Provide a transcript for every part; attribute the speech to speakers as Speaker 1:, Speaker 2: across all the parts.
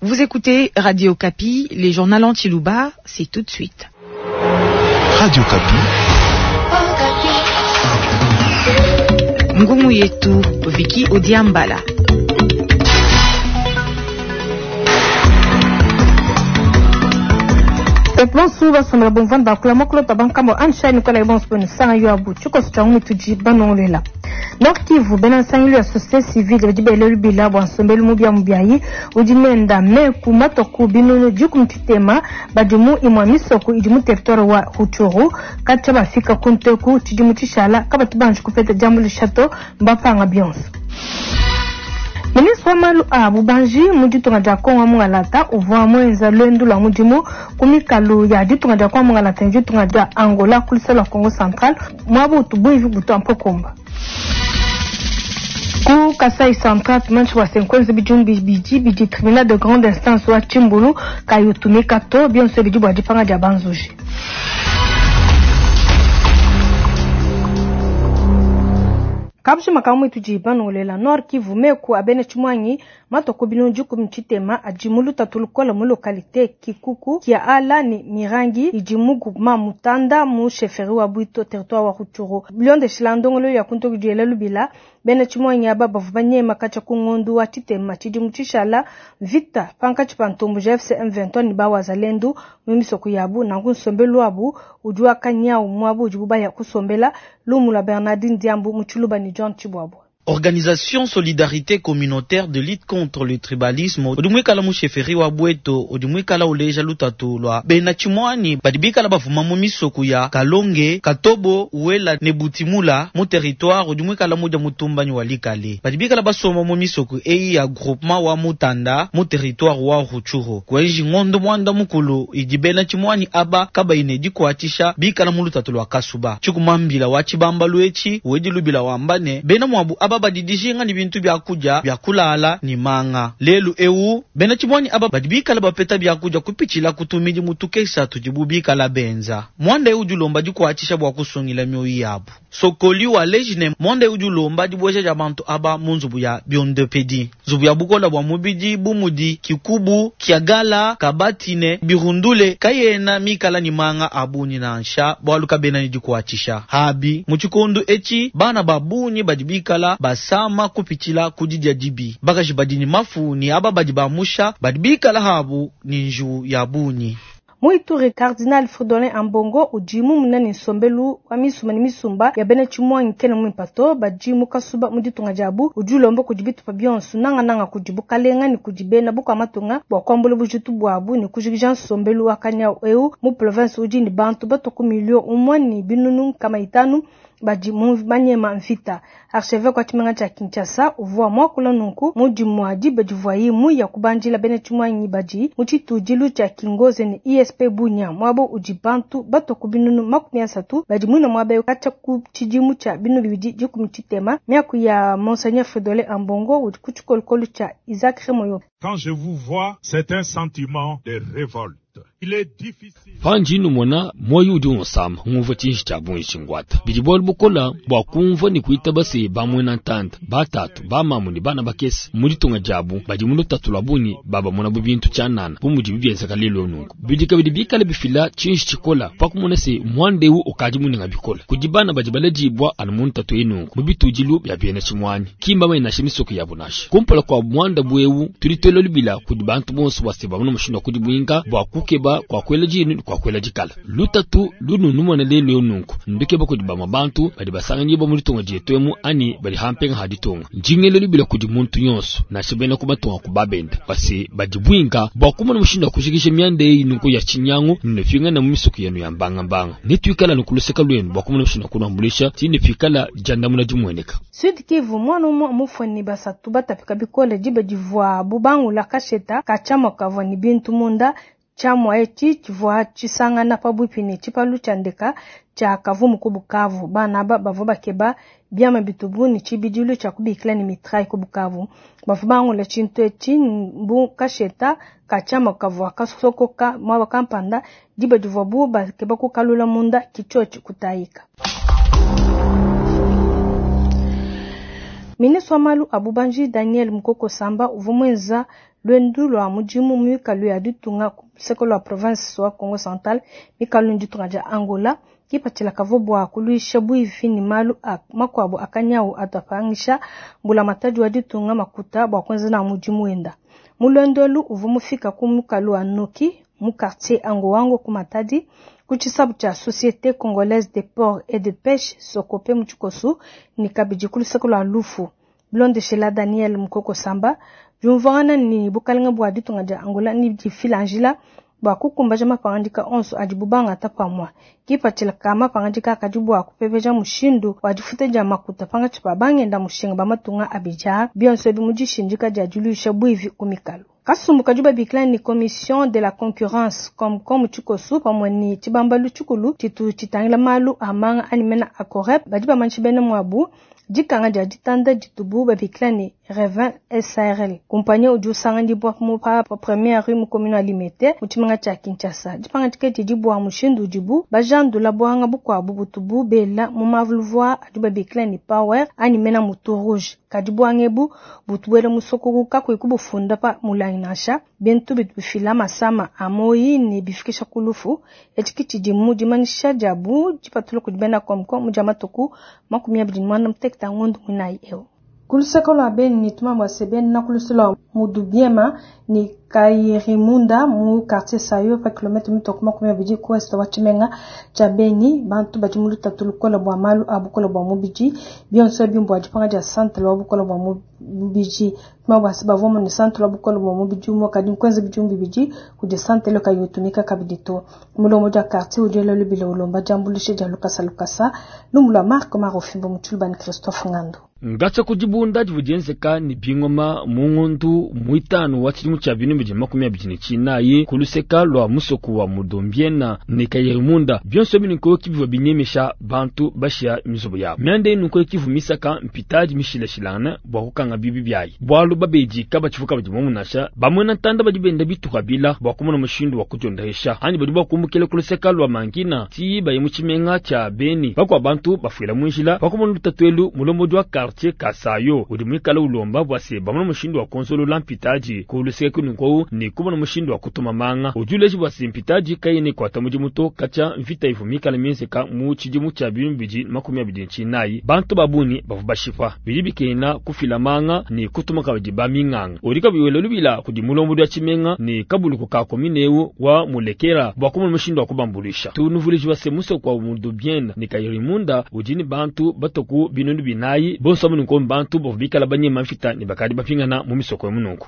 Speaker 1: Vous écoutez Radio Okapi, les journaux en tshiluba, c'est tout de suite.
Speaker 2: Radio Okapi.
Speaker 1: Ngumu yetu Vicky Odiambala.
Speaker 3: Bonsu basomela bomvanda bakula mokulota bankambo anshani kola bonsu benu sanga yo abu tshikoso tshia mutudi banongolela. Nord Kivu, bena nsangilu ya société civile badi bela lubila bua nsombelu mubia mubiayi udi nenda meku matua ku binunu dikumi tshitema badi mu imua misoko idi mu territoire wa Rutshuru katshia bafika ku nteku tshidimu tshishala kabatu banji kupeta diambuluisha to mbapanga bionso. Ministre wa malu a bubanji mu ditunga dia Congo wa mungalata uvua muenza luendu lua mudimu ku mikalu ya ditunga dia Congo wa mungalata ne ditunga dia Angola ku luseke lua Congo central muaba utu buivi butua mpokomba. Ku Kasai Central, tumanyishi bua se nkuenza bidimu bibidi bidi tribunal de grande instance wa Tshimbulu kayi utumika to, bionso bidi bua dipanga dia banzuji. Kabushima ka muitu di banongolela Nord Kivu meku a bena tshimuangi matua ku binunu dikumi tshitema adi mu lutatu lukole mu localite Kikuku kia Ala ne Mirangi idi mu groupement Mutanda mu chefferie wa Bwito territoire wa Rutshuru. Bilondeshila ndongoluelu ya kuntu diela lubila bena tshimuangi aba bavua banyema katshia ku ngondu wa tshitema tshidimu tshishala mvita pankatshi pa ntomboji FC M23 ne ba Wazalendo mu misoko yabu nanku nsombelu wabu udi wa kanyawu muabu udibu baya kusombela lumu lua Bernardine Diambu mu Tshiluba ne John Tshibwabwa.
Speaker 4: Organisation Solidarité Communautaire de lutte contre le tribalisme udi muikala mu chefferie wa Bweto udi muikala uleja lutatu lua bena tshimuanyi badi bikala bafuma mu misoko ya Kalonge, Katobo, Uela ne Butimula mu territoire udi muikala mudia mutumbanyi wa Likale badi bikala basomba mu misoko eyi ya groupement wa Mutanda mu territoire wa Rutshuru kuenji ngondo muanda mukulu idi bena tshimuanyi aba kabayi ne dikuatshisha bikala mu lutatu lua kasuba tshikumambila wa tshibambalu etshi wedi lubila wamba ne bena muabu aba badi dijinga ne bintu bia kudia bia kulala ne manga lelu ewu bena tshimuanyi aba badi bikala bapeta bia kudia kupitshila kutumidi mutukesa tudibu bikala benza mwanda ewu dilomba dikuatshisha bua kusungila mioyo yabu sokoli wa lejine mwanda ewu dilomba dibueja dia bantu aba mu nzubu ya biondopedi nzubu ya bukola bua mubidi bumudi kikubu kiagala kabatine birundule kayena mikala ni manga abunyi nansha bwalu kabena ni dikuatshisha habi mu tshikondu etshi bana babunyi badi bikala basama kupitshila kudidia dibi bakaji badi ni mafu ni aba badi bamusha badi bikala habu ni nju ya bunyi.
Speaker 3: Mu Ituri Cardinal Fridolin Ambongo udi mumuna ne nsombelu wa misumba ne misumba ya bena tshimuangi kena muimpato badi mu kasuba mu ditunga diabu udi ulomba kudi bitupa bionso nangananga kudi bukalenga ne kudi bena bukua matunga bua kuambula bujitu buabu ne kujikija nsombelu wa kanyawu eu mu province udi ne bantu batua ku milio umue ne binunu nkama itanu badi mu banyema mvita. Archevêque wa tshimenga tshia Kinshasa uvua muakula nunku mu dimua diba divuaye muya kubandila bena tshimuangi badi mu tshitudilu tshia Kingoze ne ISP Bunia muaba udi bantu batua ku binunu 30 badi muina muaba eu katshia ku tshidimu tshia binunu bibidi dikumi tshitema. Miaku ya Monseigneur Fridolin Ambongo udi ku tshikolokolo tshia Isaac Remoyo.
Speaker 5: Quand je vous vois, c'est un sentiment de révolte. Il est difficile.
Speaker 6: Panji numona moyo udi unsama ngumva tshinji tshia bungi tshingwata bidi bualu bukola bua kumva ne kuita base ba muena ntanda batatu ba mamu ne bana bakese mu ditunga diabu badi mu lutatu lua bungi babamona bu bintu tshianana bu mudibi bienzeka lelu nunku bidi kabidi bikale bifila tshinji tshikola pa kumona se muanda eu ukadi munenga bikola kudi bana badi baledibua anu mu ntatu eyi nunku mu bitudilu bia bena tshimuanyi kimba bayinasha misoko yabu nasha kumpala kua muanda bu eu tudi tuela lubila kudi bantu bonso bua se bamona mushindu wa kudibuinga bua kukeba kwa kwela jinu kwa kwela dikala lutatu lununu mwana lelu eu nunku ndukeba kudi bamwe bantu badi basanganyibwa mu ditunga dietu emu ani badi hampenga ha ditunga njingelo lubila kudi muntu yonso nansha bena ku batunga ku babenda basi badibuinga bua kumona mushindu wa kujikija mianda eyi nunku ya tshinyangu nefingana mu misuku yenu ya mbangambanga netuikala nukuluseka lwenu bua kumona mushindu wa kunuambulisha ti nefikala diandamuna dimueneka.
Speaker 3: Sud Kivu mwana umwe mufweni basatu batapika bikole diba divua bubangula kasheta kachamwa kavua ni bintu munda tshiamua etshi tshivua tshisangana pabuipi ne tshipalu tshia ndeka tshia Kavumu ku Bukavu. Bana aba bavua bakeba biama bitubu ne tshibidilu tshia kubikila ne mitraille ku Bukavu. Bavua bangula tshintu etshi mbu kasheta ka tshiamua kavua kasokoka muaba kampanda diba divuabu bakeba kukalula munda kitshiotshi kutayika. Ministre wa malu a bubanji Daniel Mukoko Samba uvua muenza luendu lua mudimu mu mikalu ya ditunga ku luseke lua province wa Kongo Central, mikalu ne ditunga dia Angola. Kipatshila kavua bua kuluisha buivi ne malu a makuabu a kanyawu atu apangisha mbulamatadi wa ditunga makuta bua kuenza nawu mudimu wenda. Mu luendu elu uvua mufika ku mukalu wa Noki mu quartier Angowango ku Matadi, ku tshisabu tshia Société Congolaise des Ports et de Pêche Socope mu tshikosu ne kabidi ku luseke lua Lufu. Bilondeshela Daniel Mukoko Samba, diumvuangana ne bukalenga bua ditunga dia Angola ne difila njila bua kukumbaja mapangadika onso adibu bangata pamue. Kipatshila ka mapangadika akadi bua kupepeja mushindu wa difuta dia makuta pankatshi pa bangenda mushinga ba matunga abidi aa, bionso ebi mu dishindika dia diluisha buivi ku mikalu. Kasumbu kadi babikila ne Commission de la concurrence Comcom tshikosu pamue ne tshibambalu tshikulu tshitu tshitangila malu a manga anyi mena a Corep badi bamanyisha bena muabu dikanga dia ditanda ditubu babikila ne Revin SARL. Kumpanya udi usanganyibua mu pa première rue mu commune wa Limete mu tshimenga tshia Kinshasa. Dipangadika didi bua mushindu udibu bajandula buanga bukuabu butubu bela mu maluvu adi babikila ne Power anyi mena Mutu Rouge. Kadi buanga ebu butu buela musokoku kakuyi kubufunda pa mulangi nansha. Bintu bitu bifila masama a moyi ne bifikisha ku lufu. Etshi ke tshidi mu dimanyisha diabu dipatula kudi bena Comcom mu dia matuku 28 a ngondo muinayi eu. Ku luseke lua Beni tumambu se bena ku luseke lua Mudubiema ne Kayirimunda mu quartier Sayo pa kilomètre mitue ku 20 ku ouest wa tshimenga tshia Beni, bantu badi mu lutatu lukole bua malu a bukole bua mubidi. Bionso ebi mbua dipanga dia centre wa bukole bua mubidi. Tumambu se bavua mu ne centre wa bukole bua mubidi umue kadi nkuenza bidimu bibidi kudi centre kayi utumika kabidi to. Mulombodi wa quartier udi ela lubila ulomba diambuluisha dia lukasa lukasa. Lumu lua Marc Marofimbo mu Tshilubani Christophe Ngando.
Speaker 6: Ngatsa ku dibunda divua dienzeka ne bingoma mu ngondu muitanu wa tshidimu tshia 2024 ku luseka lua musoko wa Mudombiena ne Kayirimunda. Bionso ebi nunku bivua binyemesha bantu bashia mizubu yabo. Mianda eyi nunku kivua misaka mpitadi mishilashilangane bua kukanga bibi biayi. Bualu babedi kabatshivuka badi muomu nansha bamwena ntanda badi benda bituka bila bua kumona mushindu wa kudiondesha anyi badi bua kumbukila ku luseka lua Mangina ti baye mu tshimenga tshia Beni. Bakua bantu bafuila mu njila pakumona lutatu elu mulombodi wa quartier Kasayo udi muikale ulomba bua se bamona mushindu wa konzolola mpitadi ku luseke kununku ne kumona mushindu wa kutuma manga. Udi uleja bua se mpitadi kayena ikuata mudimu to katshia mvita ivua mikale mienzeka mu tshidimu tshia 2024. Bantu ba bungi bavua bashipa bidi bikena kufila manga ne kutuma kabidi ba minganga. Udi kabidi wela lubila kudi mulombodi wa tshimenga ne kabuluku ka commune eu wa Mulekera bua kumona mushindu wa kubambuluisha. Tunuvuluije bua se musoko wa Mudubiena ne Kayirimunda udi ne bantu batoku 4000 bonso amu nunku bantu bavua bikala banyema mvita ne bakadi bapingana mu misoko ya mununku.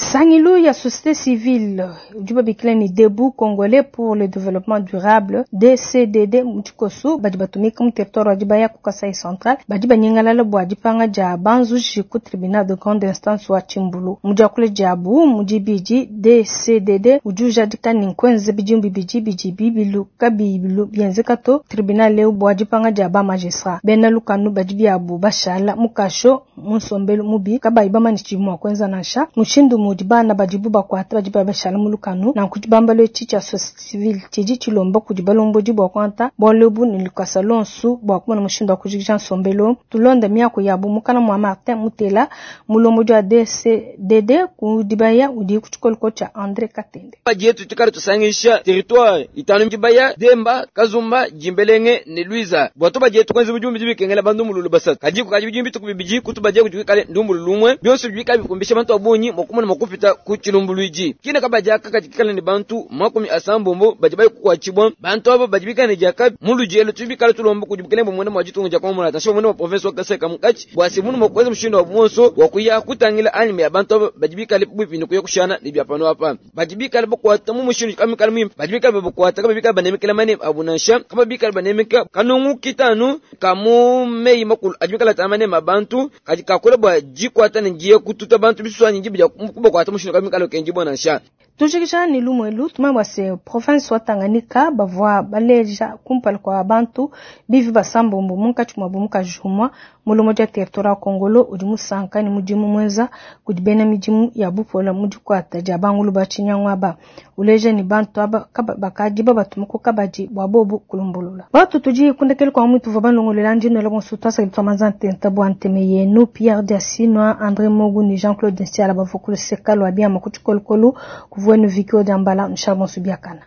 Speaker 3: Sangilu ya société civile udi babikila ni Debout Congolais pour le développement durable DCDD mu tshikosu badi batumika mu territoire wa Dibaya ku Kasai Central badi banyengalala bua dipanga dia banzuji ku tribunal de grande instance wa Tshimbulu. Mu diakula diabu mu dibidi DCDD udi ujadika ne nkuenza bidimu bibidi bidi bibilu kabibilu bienzeka to tribunal eu bua dipanga dia ba magistrat. Bena lukanu badi biabu bashala mu kasho mu nsombelu mubi kabayi bamanye tshidi mua kuenza nansha mushindu mudi bana badibu bakuata badi babashala mu lukanu. Nanku tshibambalu etshi tshia société civile tshidi tshilomba kudi balombodi bua kuangata bualu ebu ne lukasa luonso bua kumona mushindu wa kujikija nsombelu. Tulonde miaku yabu mukana mua Martin Mutela mulombodi wa DCDD ku Dibaya udi ku tshikoloko tshia André Katende.
Speaker 7: Badietu tukale tusangisha territoire itanu Dibaya, Demba, Kazumba, Jimbelenge ne Luiza. Bua tubadietu kwenza bidimu bidi bikengela bantu mululu basatu. Kadi kukaji bidimu bituku bibidi kutubadia kudi kale ndumbulu lumwe. Bionso bidi bikale bikumbisha bantu abunyi mokumona mokupita ku chilumbuluiji. Kina kabadia kakati kale ne bantu 80 badi bayi kukwatshibwa. Bantu abo badi bikale ne diaka mu ludielo tubikale tulomba kudi bukelenge bumwene mwa ditunga dia Kongo nansha bumwene mwa province wa Kasai kamukachi. Bua se munu mokweza mushindu wa buonso wa kuya kutangila anime ya bantu abo badi bikale bwipi ne kuya kushana ne bya pano apa. Badi bikale bakwata mu mushindu kamikale mwimpe. Badi bikale bakwata kaba bikale banemekela mane abunansha kaba bikale banemeka kanungu kitanu kamu meyi makulu adi bikale tamane mabantu kadi kakula bwa jikwata ne ngiye kututa bantu biswani ngibi ya kubakwata mushindu kamikale kenji bonansha.
Speaker 3: Tujikisha ni lumwelu tumambu se province wa Tanganyika bavua baleja kumpala kwa bantu bivi basambombo munkatshi mwabu mukajumwa. Mulombodi wa territoire wa Kongolo udi musanka ne mudimu muenza kudi bena midimu ya bupola mu dikuata dia bangulu ba tshinyangu aba. Uleja ne bantu aba bakadi babatuma ku kabadi bua bobu kulumbulula. Batu tudi kundekelu kua mutu tuvua balongolola ndi nwela bonso twasakidila twa manza ntenta bua nteme yenu Pierre Diasinwa, André Mogu ne Jean-Claude Nsiala bavua ku luseka lua biama ku tshikolokolo kuvuenu Vicky Odiambala nshal bonso biakana.